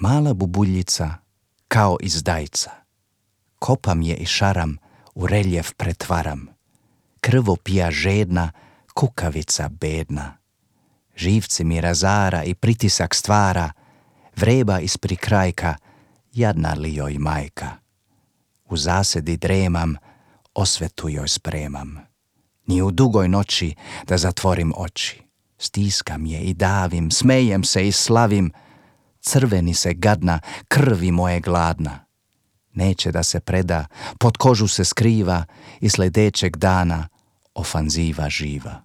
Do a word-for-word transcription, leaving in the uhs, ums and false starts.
Mala bubuljica kao izdajca, kopam je i šaram, u reljef pretvaram. Krvopija žedna, kukavica bedna. Živci mi razara i pritisak stvara, vreba ispri krajka, jadna li joj majka. U zasedi dremam, osvetu joj spremam. Ni u dugoj noći da zatvorim oči. Stiskam je i davim, smejem se i slavim. Crveni se gadna, krvi moje gladna. Neće da se preda, pod kožu se skriva i sledećeg dana ofanziva živa.